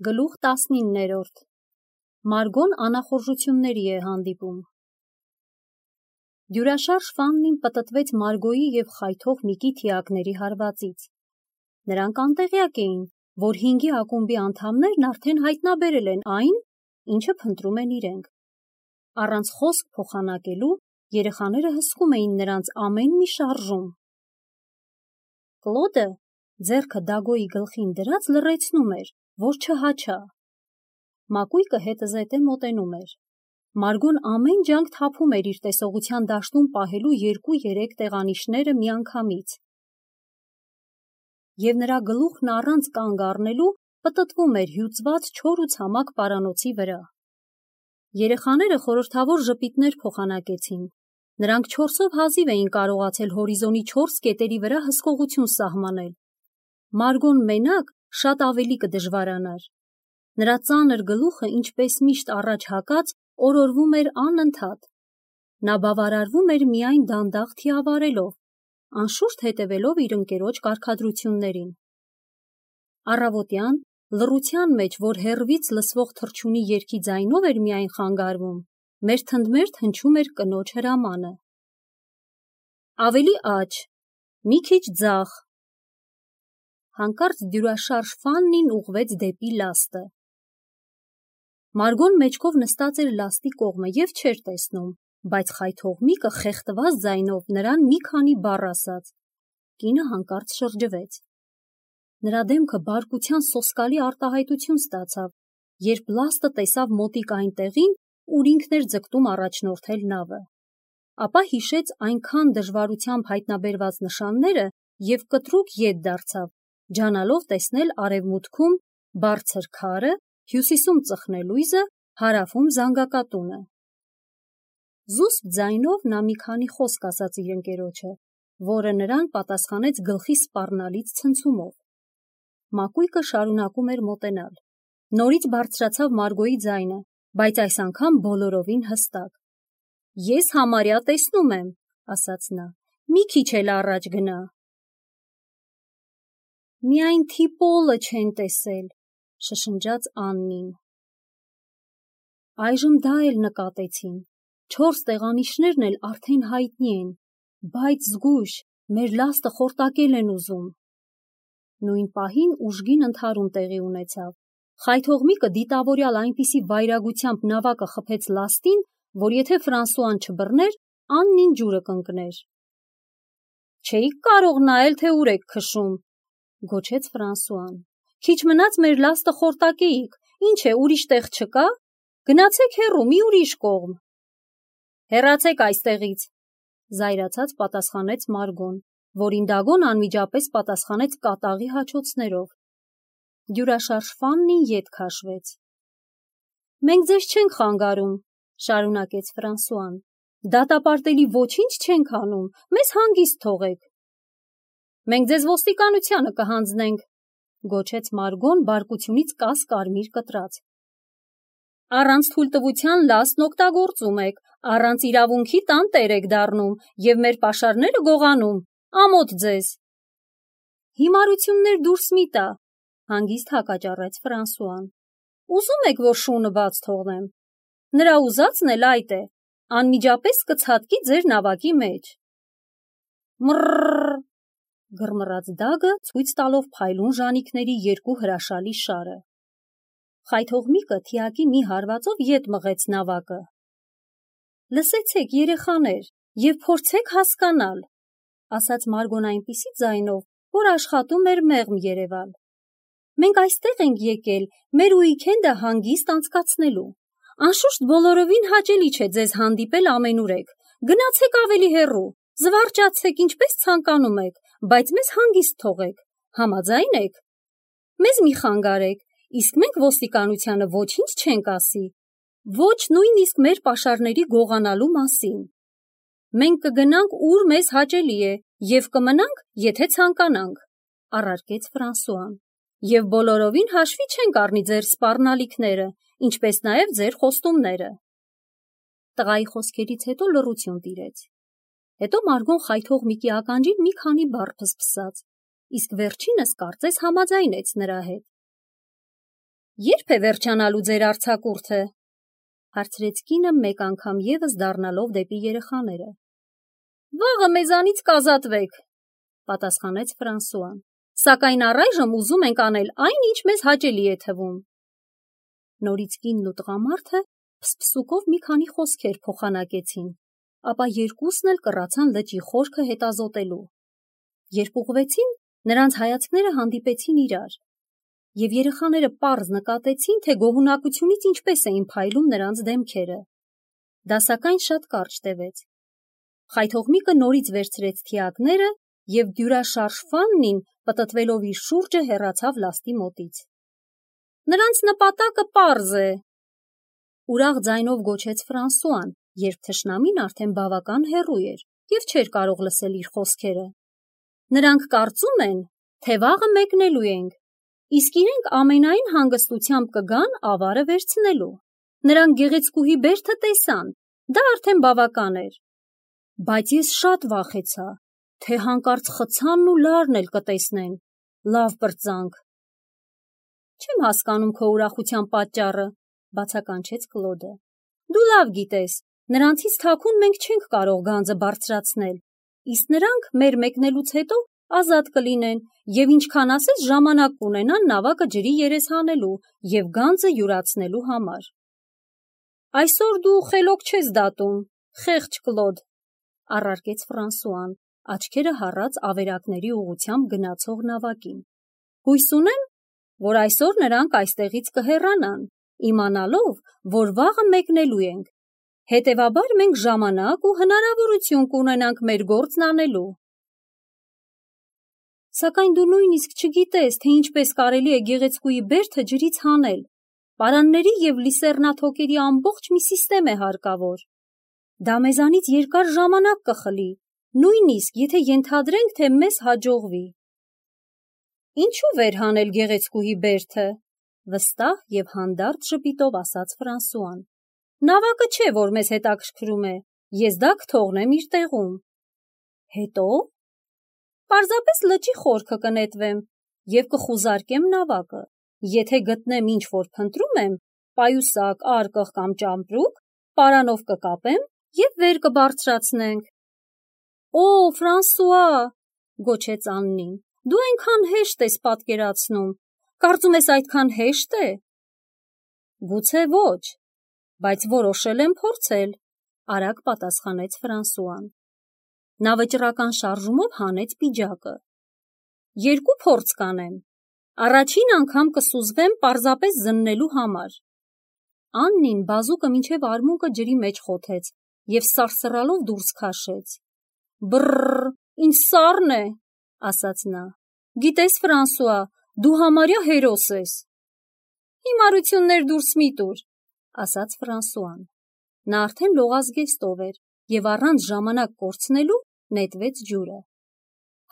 Գլուխ 19-րդ Մարգոն անախորժությունների է հանդիպում։ Դյուրաշարժ Ֆաննին պտտվեց Մարգոյի և խայթող Միկի թիակների հարվածից։ Նրանք անտեղյակ էին, որ 5-ի ակումբի անդամներն արդեն հայտնաբերել են այն, ինչը փնտրում են իրենք։ Առանց խոսք փոխանակելու երեխաները հսկում էին նրանց ամեն մի շարժում։ Կլոդը ձեռքը Դագոյի գլխին դրած լռեցնում էր, որ չհաչա։ Մակույկը հետզհետե մոտենում էր։ Մարգոն ամեն ջանք թափում էր իր տեսողության դաշտում պահելու 2-3 տեղանիշները միանգամից։ Եվ նրա գլուխն առանց կանգ առնելու պտտվում էր հյուծված չոր ու ցամաք պարանոցի վրա։ Երեխաները խորհրդավոր ժպիտներ փոխանակեցին։ Նրանք 4-ով հազիվ էին կարողացել հորիզոնի 4 կետերի վրա հսկողություն սահմանել։ Մարգոն մենակ շատ ավելի կդժվարանար։ Նրա ծանր գլուխը, ինչպես միշտ առաջ հակած, օրորվում էր անընդհատ։ Նա բավարարվում էր միայն դանդաղ թիավարելով, անշուշտ հետևելով իր ընկերոջ կարգադրություններին։ Առավոտյան, լռության մեջ, որ հեռվից լսվող թռչունի երգի ձայնով էր միայն խանգարվում, մերթընդմերթ հնչում էր կնոջ հրամանը. ավելի աջ, մի քիչ ձախ։ Հանկարծ դյուրաշարժ Ֆաննին ուղղվեց դեպի լաստը։ Մարգոն մեջքով նստած էր լաստի կողմը և չէր տեսնում, բայց խայթող Միկը խեղդված ձայնով նրան մի քանի բառ ասաց։ Կինը հանկարծ շրջվեց։ Նրա դեմքը բարկության սոսկալի արտահայտություն ստացավ, երբ լաստը տեսավ մոտիկ այն տեղին, ուր ինքն էր ձգտում առաջնորդել նավը։ Ապա հիշեց այնքան դժվարությամբ հայտնաբերված նշանները և կտրուկ ետ դարձավ, ջանալով տեսնել արևմուտքում բարձր քարը, հյուսիսում ծխնելույզը, հարավում զանգակատունը։ Զուսպ ձայնով նա մի քանի խոսք ասաց իր ընկերոջը, որը նրան պատասխանեց գլխի սպառնալից ցնցումով։ Մակույկը շարունակում էր մոտենալ։ Նորից բարձրացավ Մարգոյի ձայնը, բայց այս անգամ բոլորովին հստակ։ Ես համարյա տեսնում եմ, ասաց նա, մի քիչ էլ առաջ գնա։ Միայն թիպոլը չեն տեսել, շշնջաց Աննին։ Այժմ դա էլ նկատեցին։ 4 տեղանիշներն էլ արդեն հայտնի են, բայց զգույշ, մեր լաստը խորտակել են ուզում։ Նույն պահին ուժգին ընդհարում տեղի ունեցավ։ Խայթող Միկը դիտավորյալ այնպիսի վայրագությամբ նավակը խփեց լաստին, որ եթե Ֆրանսուան չբռներ, Աննին ջուրը կընկներ։ Չէիք կարող նայել, թե ուր եք քշում, գոչեց Ֆրանսուան։ Քիչ մնաց մեր լաստը խորտակեիք, ինչ է, ուրիշ տեղ չկա։ Գնացեք հեռու, մի ուրիշ կողմ։ Հեռացեք այստեղից, զայրացած պատասխանեց Մարգոն, որին Դագոն անմիջապես պատասխանեց կատաղի հաչոցներով։ Դյուրաշարժ Ֆաննին ետ քաշվեց։ Մենք ձեզ չենք խանգարում, շարունակեց Ֆրանսուան։ Դատապարտելի ոչինչ չենք անում, մեզ հանգիստ թողեք։ Մենք ձեզ ոստիկանությանը կհանձնենք, գոչեց Մարգոն բարկությունից կաս-կարմիր կտրած։ Առանց թույլտվության լաստն օգտագործում եք, առանց իրավունքի տանտեր եք դառնում և մեր պաշարները գողանում, ամոթ ձեզ։ Հիմարություններ դուրս մի տա, հանգիստ հակաճառեց Ֆրանսուան։ Ուզում եք, որ շունը բաց թողնեմ։ Նրա ուզածն էլ այդ է, անմիջապես կցատկի ձեր նավակի մեջ։ Մռռռ, գռմռաց Դագը, ցույց տալով փայլուն ժանիքների 2 հրաշալի շարը։ Խայթող Միկը թիակի մի հարվածով ետ մղեց նավակը։ Լսեցեք, երեխաներ, և փորձեք հասկանալ, ասաց Մարգոն այնպիսի ձայնով, որ աշխատում էր մեղմ երևալ։ Մենք այստեղ ենք եկել մեր ուիկենդը հանգիստ անցկացնելու։ Անշուշտ բոլորովին հաճելի չէ ձեզ հանդիպել ամենուրեք։ Գնացեք ավելի հեռու, զվարճացեք, ինչպես ցանկանում եք, բայց մեզ հանգիստ թողեք։ Համաձայն եք։ Մեզ մի խանգարեք, իսկ մենք ոստիկանությանը ոչինչ չենք ասի, ոչ նույնիսկ մեր պաշարների գողանալու մասին։ Մենք կգնանք, ուր մեզ հաճելի է, և կմնանք, եթե ցանկանանք, առարկեց Ֆրանսուան, և բոլորովին հաշվի չենք առնի ձեր սպառնալիքները, ինչպես նաև ձեր խոստումները։ Տղայի խոսքերից հետո լռություն տիրեց։ Հետո Մարգոն խայթող Միկի ականջին մի քանի բառ փսփսաց, իսկ վերջինս կարծես համաձայնեց նրա հետ։ Երբ է վերջանալու ձեր արձակուրդը, հարցրեց կինը մեկ անգամ ևս դառնալով դեպի երեխաները։ Վաղը մեզանից կազատվեք, պատասխանեց Ֆրանսուան, սակայն առայժմ ուզում ենք անել այն, ինչ մեզ հաճելի է թվում։ Նորից կինն ու տղամարդը փսփսուկով մի քանի խոսքեր փոխանակեցին, ապա երկուսն էլ կռացան լճի խորքը հետազոտելու։ Երբ ուղղվեցին, նրանց հայացքները հանդիպեցին իրար, եւ երեխաները պարզ նկատեցին, թե գոհունակությունից ինչպես էին փայլում նրանց դեմքերը։ Դա սակայն շատ կարճ տևեց։ Խայթողմիկը նորից վերցրեց թիակները եւ դյուրաշարժ Ֆաննին պտտվելով իր շուրջը հեռացավ լաստի մոտից։ Նրանց նպատակը պարզ է, ուրախ ձայնով գոչեց Ֆրանսուան, երբ թշնամին արդեն բավական հեռու էր եւ չէր կարող լսել իր խոսքերը։ Նրանք կարծում են, թե վաղը մեկնելու ենք, իսկ իրենք ամենայն հանգստությամբ կգան ավարը վերցնելու։ Նրանք գեղեցկուհի բերդը տեսան, դա արդեն բավական էր։ Բայց ես շատ վախեցա, թե հանկարծ խցանն ու լարն էլ կտեսնեն, լավ պրծանք։ Չեմ հասկանում քո ուրախության պատճառը, բացականչեց Կլոդը։ Դու լավ գիտես, նրանցից թաքուն մենք չենք կարող գանձը բարձրացնել, իսկ նրանք մեր մեկնելուց հետո ազատ կլինեն եւ ինչքան ասես ժամանակ կունենան նավակը ջրի երես հանելու եւ գանձը յուրացնելու համար։ Այսօր դու խելոք չես դատում, խեղճ Կլոդ, առարկեց Ֆրանսուան, աչքերը հառած ավերակների ուղությամբ գնացող նավակին։ Հույս ունեմ, որ այսօր նրանք այստեղից կհեռանան, իմանալով, որ վաղը մեկնելու ենք։ Հետևաբար մենք ժամանակ ու հնարավորություն կունենանք մեր գործն անելու։ Սակայն դու նույնիսկ չգիտես, թե ինչպես կարելի է գեղեցկուի բերդը ջրից հանել։ Պարանների եւ լիսեռնաթոքերի ամբողջ մի սիստեմ է հարկավոր։ Դա մեզանից երկար ժամանակ կխլի, նույնիսկ եթե ենթադրենք, թե մեզ հաջողվի։ Ինչու վեր հանել գեղեցկուհի բերդը, վստահ եւ հանդարտ ժպիտով ասաց Ֆրանսուան։ Նավակը չէ, որ մեզ հետաքրքրում է, ես դա կթողնեմ իր տեղում։ Հետո պարզապես լճի խորքը կնետվեմ եւ կխուզարկեմ նավակը։ Եթե գտնեմ ինչ որ փնտրում եմ, պայուսակ, արկղ կամ ճամպրուկ, պարանով կկապեմ եւ վեր կբարձրացնենք։ Օ, Ֆրանսուଆ, գոչեց Աննին, դու այնքան հեշտ ես պատկերացնում, կարծում ես այդքան հեշտ է։ Գուցե ոչ, բայց որոշել եմ փորձել, արագ պատասխանեց Ֆրանսուան։ Նա վճռական շարժումով հանեց պիջակը։ Երկու փորձ կանեմ։ Առաջին անգամ կսուզվեմ պարզապես զննելու համար։ Աննին բազուկը մինչև արմունկը ջրի մեջ խոթեց եւ սարսռալով դուրս քաշեց։ Բռռ, ինչ սառն է, ասաց նա։ Գիտես, Ֆրանսուଆ, դու համարյա հերոս ես։ Հիմարություններ դուրս մի տուր, ասաց Ֆրանսուան։ Նա արդեն լողազգեստով էր եւ առանց ժամանակ կորցնելու նետվեց ջուրը։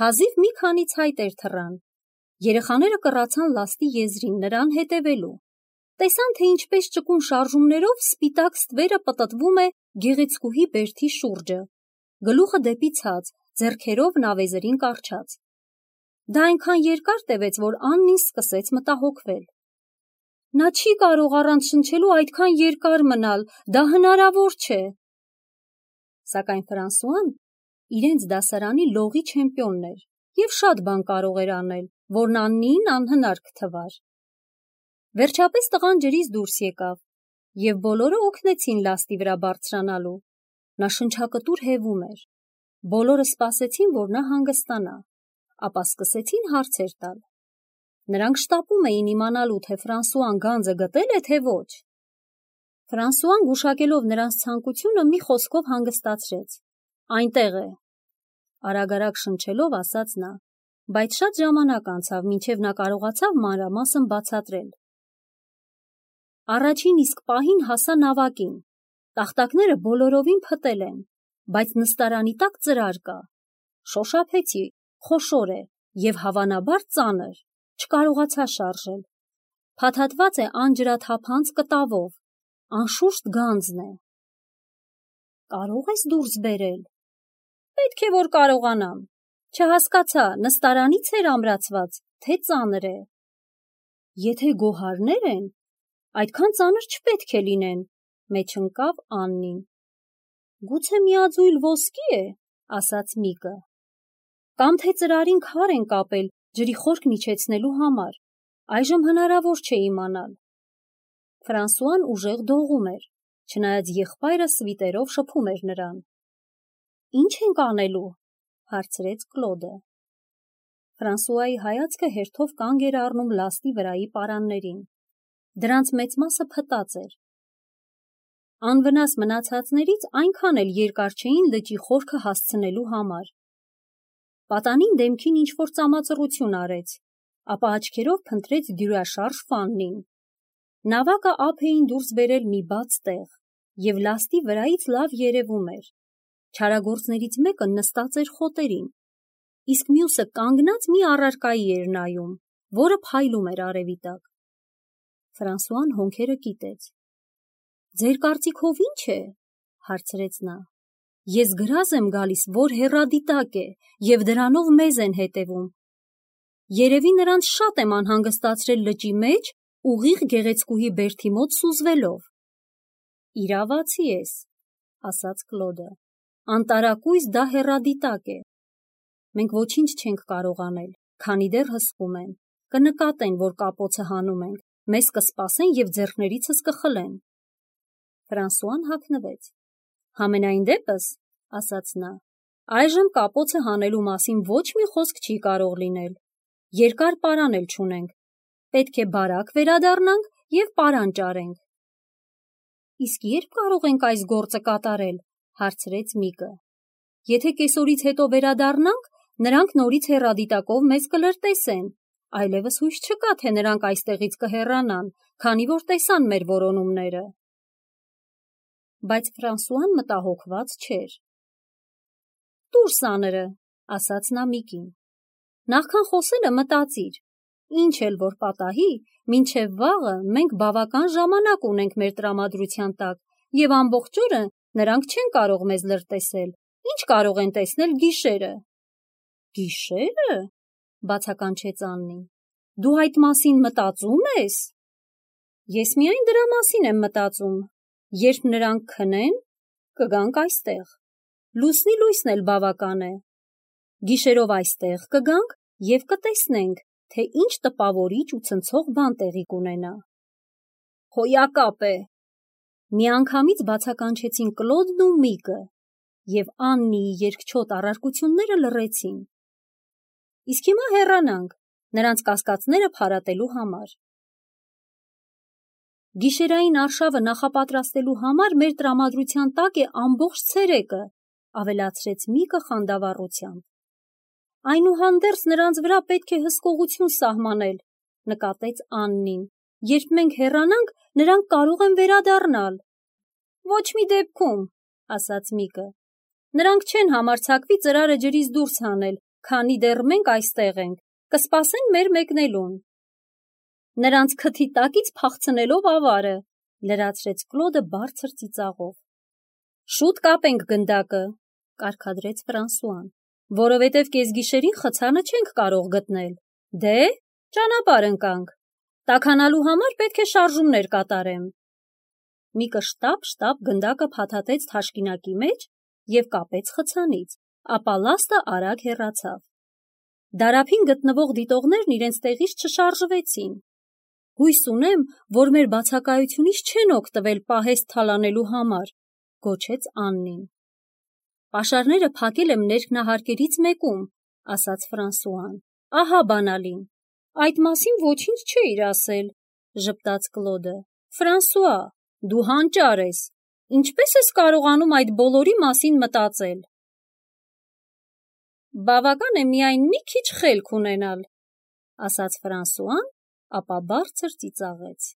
Հազիվ մի քանի ցայտեր թռան։ Երեխաները կռացան լաստի եզրին նրան հետևելու։ Տեսան, թե ինչպես ճկուն շարժումներով սպիտակ ստվերը պտտվում է գեղեցկուհի բերդի շուրջը, գլուխը դեպի ցած, ձեռքերով նավեզերին կառչած։ Դա այնքան երկար տևեց, որ Աննին սկսեց մտահոգվել։ Նա չի կարող առանց շնչելու այդքան երկար մնալ, դա հնարավոր չէ։ Սակայն Ֆրանսուան իրենց դասարանի լողի չեմպիոնն էր եւ շատ բան կարող էր անել, որն Աննիին անհնար կթվար։ Վերջապես տղան ջրից դուրս եկավ եւ բոլորը օգնեցին լաստի վրա բարձրանալու։ Նա շնչակտուր հևում էր։ Բոլորը սպասեցին, որ նա հանգստանա, ապա սկսեցին հարցեր տալ։ Նրանք շտապում էին իմանալու, թե Ֆրանսուան գանձը գտել է, թե ոչ։ Ֆրանսուան գուշակելով նրանց ցանկությունը մի խոսքով հանգստացրեց։ Այնտեղ է, արագ-արագ շնչելով ասաց նա, բայց շատ ժամանակ անցավ, մինչև նա կարողացավ մանրամասն բացատրել։ Առաջին իսկ պահին հասա նավակին։ Տախտակները բոլորովին փտել են, բայց նստարանի տակ ծրար կա։ Շոշափեցի, խոշոր է եւ հավանաբար ծանր, չկարողացա շարժել։ Փաթաթված է անջրաթափանց կտավով, անշուշտ գանձն է։ Կարող ես դուրս բերել։ Պետք է որ կարողանամ։ Չհասկացա, նստարանից էր ամրացված, թե ծանր է։ Եթե գոհարներ են, այդքան ծանր չպետք է լինեն, մեջ ընկավ Աննին։ Գուցե միաձույլ ոսկի է, ասաց Միկը։ Կամ թե ծրարին քար են կապել ջրի խորքն իջեցնելու համար, այժմ հնարավոր չէ իմանալ։ Ֆրանսուան ուժեղ դողում էր, չնայած եղբայրը սվիտերով շփում էր նրան։ Ինչ ենք անելու, հարցրեց Կլոդը։ Ֆրանսուայի հայացքը հերթով կանգ էր առնում լաստի վրայի պարաններին։ Դրանց մեծ մասը փտած էր։ Անվնաս մնացածներից այնքան էլ երկար չէին լճի խորքը հասցնելու համար։ Պատանին դեմքին ինչ-որ ծամածռություն արեց, ապա աչքերով փնտրեց դյուրաշարժ Ֆաննին։ Նավակը ափ էին դուրս բերել մի բաց տեղ, և լաստի վրայից լավ երևում էր։ Չարագործներից մեկը նստած էր խոտերին, իսկ մյուսը կանգնած մի առարկայի էր նայում, որը փայլում էր արևի տակ։ Ֆրանսուան հոնքերը կիտեց։ Ձեր կարծիքով ի՞նչ է, հարցրեց նա։ Ես գրազ եմ գալիս, որ հեռադիտակ է, և դրանով մեզ են հետևում։ Երևի նրանց շատ եմ անհանգստացրել լճի մեջ, ուղիղ գեղեցկուհի բերդի մոտ սուզվելով։ Իրավացի ես, ասաց Կլոդը։ Անտարակույս դա հեռադիտակ է։ Մենք ոչինչ չենք կարող անել, քանի դեռ հսկում են։ Կնկատեն, որ կապոցը հանում ենք, մեզ կսպասեն և ձեռքներիցս կխլեն։ Ֆրանսուան հագնվեց։ Համենայն դեպս, ասաց նա, այժմ կապոցը հանելու մասին ոչ մի խոսք չի կարող լինել։ Երկար պարան էլ չունենք։ Պետք է բարակ վերադառնանք և պարան ճարենք։ Իսկ երբ կարող ենք այս գործը կատարել, հարցրեց Միկը։ Եթե կեսօրից հետո վերադառնանք, նրանք նորից հեռադիտակով մեզ կլրտեսեն, այլևս հույս չկա, թե նրանք այստեղից կհեռանան, քանի որ տեսան մեր որոնումները։ Բայց Ֆրանսուան մտահոգված չէր։ Տուր սաները, ասաց նա Միկին։ Նախքան խոսելը մտածիր, ինչ էլ որ պատահի, մինչև վաղը մենք բավական ժամանակ ունենք մեր տրամադրության տակ, և ամբողջ օրը նրանք չեն կարող մեզ լրտեսել, ինչ կարող են տեսնել գիշերը։ Գիշերը, բացականչեց Աննին, դու այդ մասին մտածում ես։ Ես միայն դրա մասին եմ մտածում, երբ նրանք քնեն, կգանք այստեղ, լուսնի լույսն էլ բավական է։ Գիշերով այստեղ կգանք և կտեսնենք, թե ինչ տպավորիչ ու ցնցող բան տեղի կունենա։ Հոյակապ է։ Միանգամից բացականչեցին Կլոդն ու Միկը, և Աննիի երկչոտ առարկությունները լռեցին։ Իսկ հիմա հեռանանք, նրանց կասկածները փարատելու համար։ Գիշերային արշավը նախապատրաստելու համար մեր տրամադրության տակ է ամբողջ ցերեկը, ավելացրեց Միկը խանդավառությամբ։ Այնուհանդերձ նրանց վրա պետք է հսկողություն սահմանել, նկատեց Աննին։ Երբ մենք հեռանանք, նրանք կարող են վերադառնալ։ Ոչ մի դեպքում, ասաց Միկը։ Նրանք չեն համարձակվի ծրարը ջրից դուրս հանել, քանի դեռ մենք այստեղ ենք, կսպասեն մեր մեկնելուն։ Նրանց քթի տակից փախցնելով ավարը, լրացրեց Կլոդը բարձր ծիծաղով։ Շուտ կապենք գնդակը, կարգադրեց Ֆրանսուան, որովհետև կեսգիշերին խցանը չենք կարող գտնել։ Դե, ճանապարհ ընկանք։ Տաքանալու համար պետք է շարժումներ կատարեմ։ Միկը շտապ գնդակը փաթաթեց թաշկինակի մեջ և կապեց խցանից, ապա լաստը արագ հեռացավ։ Դարափին գտնվող դիտողներն իրենց տեղից չշարժվեցին։ Հույս ունեմ, որ մեր բացակայությունից չեն օգտվել պահեստ թալանելու համար, գոչեց Աննին։ Պաշարները փակել եմ ներքնահարկերից մեկում, ասաց Ֆրանսուան։ Ահա բանալին։ Այդ մասին ոչինչ չէիր ասել, ժպտաց Կլոդը։ Ֆրանսուա, դու հանճար ես։ Ինչպես ես կարողանում այդ բոլորի մասին մտածել։ Բավական է միայն մի քիչ խելք ունենալ, ասաց Ֆրանսուան, ապա բարձր ծիծաղեց։